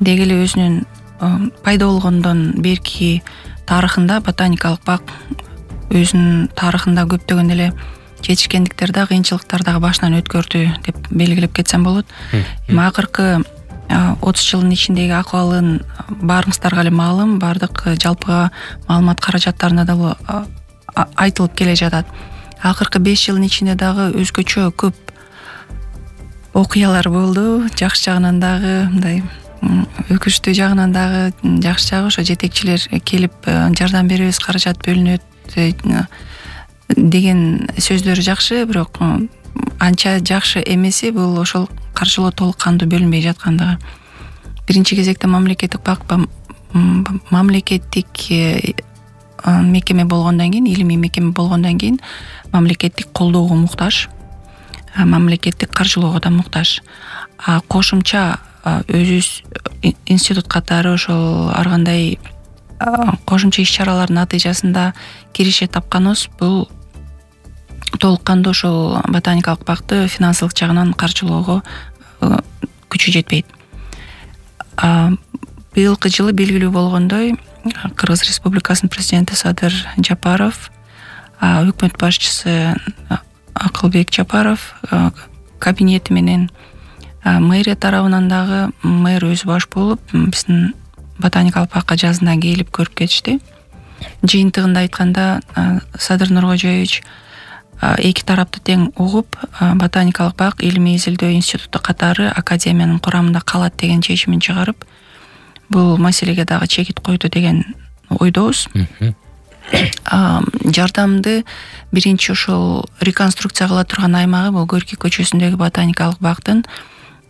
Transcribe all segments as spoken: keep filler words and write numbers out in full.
деги эле өзүнүн пайда болгондон берки тарыхында ботаникалык бак өзүнүн тарыхында көптөгөн эле жетишкендиктер да, кыйынчылыктар дагы башынан өткөрдү деп белгилеп кетсем болот. Эми акыркы отуз жылдын ичиндеги акыбалын баарыңыздарга эле маалым, баардык жалпыга маалымат каражаттарында да айтылып келе жатат. Акыркы беш жылдын ичинде дагы өзгөчө көп окуялар болду. Жакшы жагынан дагы, мындай өкүнүчтүү жагынан дагы, жакшы жагы ошо жетекчилер келип жардам беребиз, каражат бөлүнөт деген сөздөр жакшы, бирок анча жакшы эмеси бул ошол каржылоо толук кандуу бөлүнбөй жаткандыгы. Биринчи кезекте мамлекеттик бак мамлекеттик мекеме болгондон кийин, илимий мекеме болгондон кийин мамлекеттик колдоого муктаж, мамлекеттик каржылоого да муктаж. А кошумча өзүбүз институт катары ошол ар кандай кошумча иш-чаралардын натыйжасында киреше тапканыбыз бул толук кандуу ошол ботаникалык бакты финансылык жагынан каржылоого күчү жетпейт. Быйылкы жылы белгилүү болгондой, Кыргыз Республикасынын президенти Садыр Жапаров, өкмөт башчысы Акылбек Жапаров кабинети менен мэрия тарабынан дагы мэр өзү баш болуп биздин ботаникалык бакка жазына келип көрүп кетишти. Жыйынтыгында айтканда Садыр Нуркожоевич эки тарапты тең угуп, ботаникалык бак илимий изилдөө институту катары академиянын курамында калат деген чечимин чыгарып, бул маселеге дагы чекит койду деген ойдобуз. Жардамды биринчи ошол реконструкция кыла турган аймагы бул Горький көчөсүндөгү ботаникалык бактын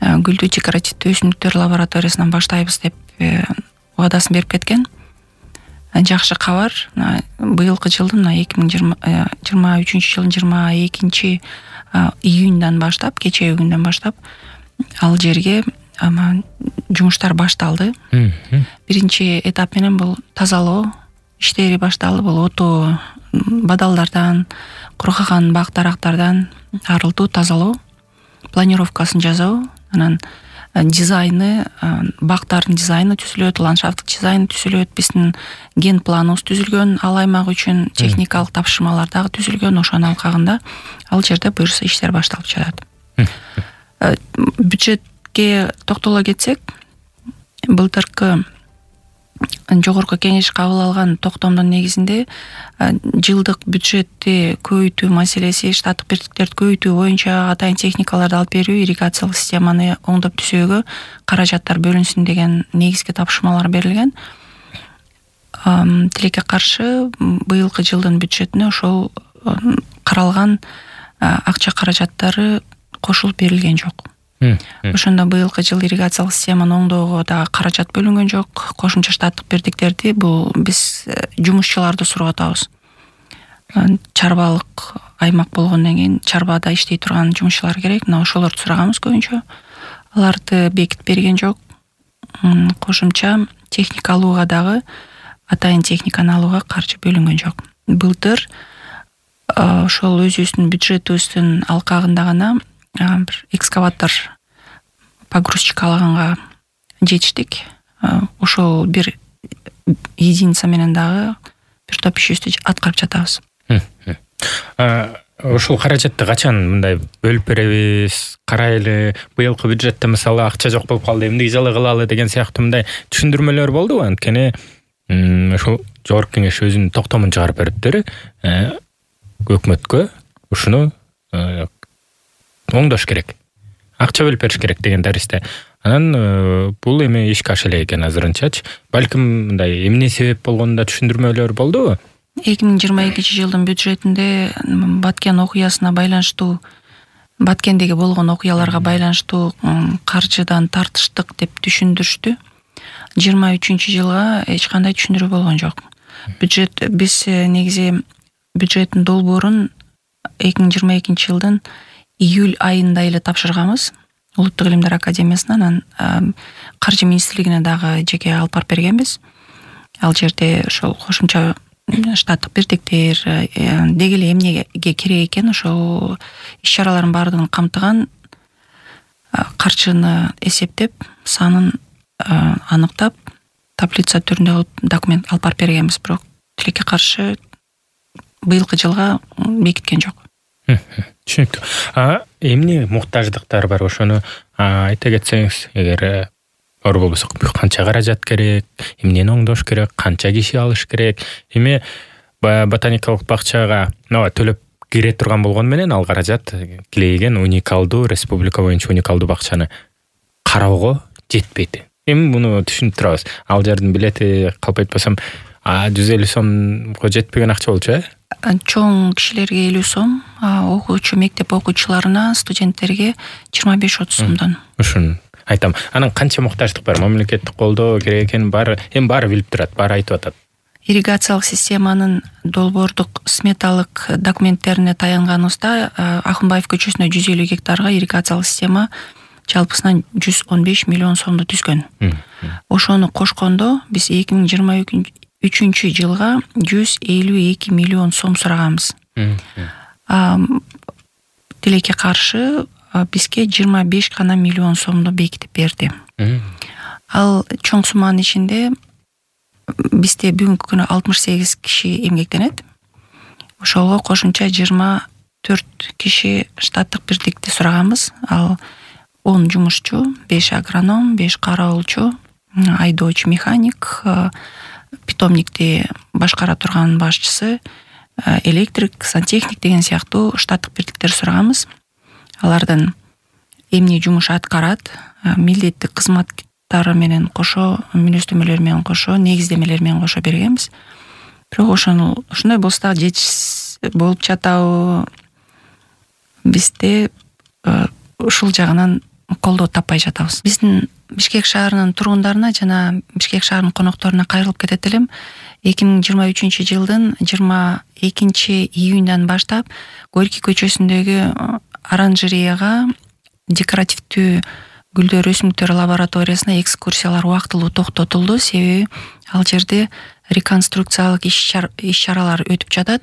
гүлдүү декоративдүү өсүмдүктөр лабораториясынан баштайбыз деп убадасын берип кеткен. Жакшы кабар. Быйылкы жылдын эки миң жыйырма үчүнчү жылдын жыйырма экинчи июндан баштап, кечээ күндөн баштап ал жерге жумуштар башталды. Биринчи этап менен бул тазалоо иштери башталды. Бул отоо бадалдардан, кургаган бак дарактардан арылтуу, тазалоо, планировкасын жасоо, анан дизайны, бактардын дизайны түзүлөт, ландшафттык дизайны түзүлөт, биздин ген планыбыз түзүлгөн, ал аймак үчүн техникалык тапшырмалар дагы түзүлгөн. Ошонун алкагында ал жерде буюрса иштер башталып жатат. Бюджетке токтоло кетсек, былтыркы жогорку кеңеш кабыл алган токтомдун негизинде жылдык бюджетти көбөйтүү маселеси, штаттык бирдиктерди көбөйтүү боюнча атайын техникаларды алып берүү, ирригациялык системаны оңдоп түзүүгө каражаттар бөлүнсүн деген негизги тапшырмалар берилген. Тилекке каршы быйылкы жылдын бюджетине ошол каралган акча каражаттары кошулуп берилген жок. Ошондо быйылкы жыл ирригациялык системаны оңдоого дагы каражат бөлүнгөн жок. Кошумча штаттык бирдиктерди бул биз жумушчуларды сурап атабыз. Чарбалык аймак болгондон кийин чарбада иштей турган жумушчулар керек. Мына ошолорду сураганбыз көбүнчө. Аларды бекитип берген жок. Кошумча техника алууга дагы, атайын техниканы алууга каржы бөлүнгөн жок. Былтыр ошол өзүбүздүн бюджетибиздин алкагында гана бир экскаватор погрузчик алаганга жетиштик. Ошол бир единица менен дагы бир топ ишибизди аткарып жатабыз. Ошол каражатты качан мындай бөлүп беребиз? Карайлы, быйылкы бюджетте мисалы акча жок болуп калды, эмне жылы кылалы деген сыяктуу мындай түшүндүрмөлөр болдубу? Анткени ошол жогорку кеңеш өзүнүн токтомун чыгарып бериптир. Өкмөткө ушуну оңдош керек, акча бөлүп бериш керек деген даристе. Анан бул эми ишке аша элек экен азырынчачы. Балким мындай эмне себеп болгонун түшүндүрмөлөр болдубу? эки миң жыйырма экинчи жылдын бюджетинде Баткен окуясына байланыштуу, Баткендеги болгон окуяларга байланыштуу каржыдан тартыштык деп түшүндүрүштү. жыйырма үчүнчү жылга эч кандай түшүндүрүү болгон жок. Бюджет биз негизи бюджеттин долбоорун эки миң жыйырма экинчи жылдын июль айында эле тапшырганбыз Улуттук илимдер академиясынан. Анан каржы министрлигине дагы жеке алып барып бергенбиз. Ал жерде ошол кошумча штаттык бирдиктер деги эле эмнеге керек экен ошол иш-чаралардын баардыгын камтыган каржыны эсептеп, санын аныктап таблица түрүндө кылып документ алып барып бергенбиз, бирок тилекке каршы быйылкы жылга бекиткен жок. Түшүнүктүү. А эмне муктаждыктар бар, ошону айта кетсеңиз, эгер оор болбосо канча каражат керек, эмнени оңдош керек, канча киши алыш керек, эми ботаникалык бакчага мына төлөп кире турган болгону менен ал каражат килейген уникалдуу, республика боюнча уникалдуу бакчаны кароого жетпейт. Эми муну түшүнүп турабыз. Ал жердин билети калп айтпасам жүз элүү сомго жетпеген акча болчу, э? Чоң кишилерге элүү сом, окуучу мектеп окуучуларына, студенттерге жыйырма беш отуз сомдон. Ушун айтам. Анан канча муктаждык бар? Мамлекеттик колдоо керек экенин баары, эми баары билип турат, баары айтып атат. Ирригациялык системанын долбоордук сметалык документтерине таянганыбызда Акынбаев көчөсүнө жүз элүү гектарга ирригациялык система жалпысынан жүз он беш миллион сомду түзгөн. Ошону кошкондо биз эки миң жыйырма үчүнчү жылга жүз элүү эки миллион сом сураганбыз. Тилекке каршы бизге жыйырма беш гана миллион сомду бекитип берди. Ал чоң сумманын ичинде бизде бүгүнкү күнү алтымыш сегиз киши эмгектенет. Ошого кошумча жыйырма төрт киши штаттык бирдикти сураганбыз. Ал он жумушчу, беш агроном, беш кароолчу, айдоочу механик, питомникти башкара турган башчысы, электрик, сантехник деген сыяктуу штаттык бирдиктер сураганбыз. Алардан эмне жумуш аткарат, милдеттик кызматтары менен кошо, мүнөздөмөлөр менен кошо, негиздемелер менен кошо бергенбиз. Бирок ошону ушундай болсо да жетиш болуп жатабы, бизде ушул жагынан колдоо таппай жатабыз. Биздин Бишкек шаарынын тургундарына жана Бишкек шаарынын конокторуна кайрылып кетет элем. эки миң жыйырма үчүнчү жылдын жыйырма экинчи июндан баштап Горький көчөсүндөгү оранжереяга декоративдүү гүлдөр өсүмдүктөр лабораториясына экскурсиялар убактылуу токтотулду. Себеби ал жерде реконструкциялык иш-чаралар өтүп жатат.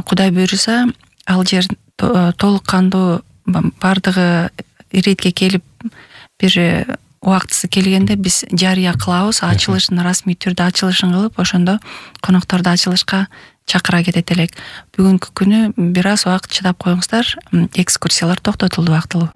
Кудай буйруса, ал жер толук кандуу бардыгы иретке келип бир убактысы келгенде биз жарыя кылабыз, ачылышын расмий түрдө ачылышын кылып, ошондо конокторду ачылышка чакыра кетет элек. Бүгүнкү күнү бир аз убакыт чыдап коюңуздар, экскурсиялар токтотулду убактылуу.